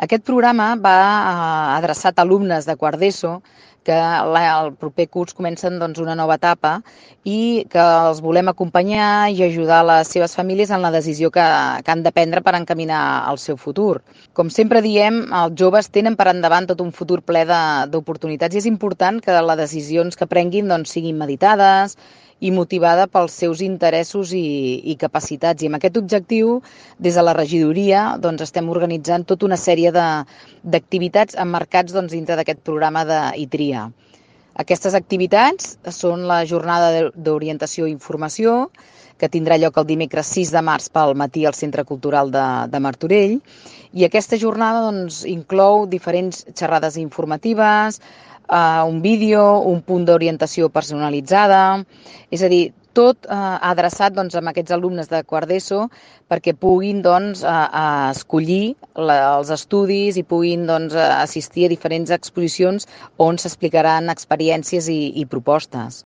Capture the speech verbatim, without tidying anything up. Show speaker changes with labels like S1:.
S1: Aquest programa va eh, adreçat a alumnes de quart d'ESO que la, el proper curs comencen doncs, una nova etapa i que els volem acompanyar i ajudar les seves famílies en la decisió que, que han de prendre per encaminar el seu futur. Com sempre diem, els joves tenen per endavant tot un futur ple de- d'oportunitats i és important que les decisions que prenguin doncs, siguin meditades i motivada pels seus interessos i, i capacitats. I amb aquest objectiu, des de la regidoria, doncs, estem organitzant tota una sèrie de, d'activitats emmarcats doncs, dintre d'aquest programa d'ITRIA. Aquestes activitats són la jornada d'orientació i informació, que tindrà lloc el dimecres sis de març pel matí al Centre Cultural de, de Martorell. I aquesta jornada doncs, inclou diferents xerrades informatives, eh, un vídeo, un punt d'orientació personalitzada, és a dir, tot eh, adreçat doncs, a aquests alumnes de quart d'ESO perquè puguin doncs, a, a escollir la, els estudis i puguin doncs, assistir a diferents exposicions on s'explicaran experiències i, i propostes.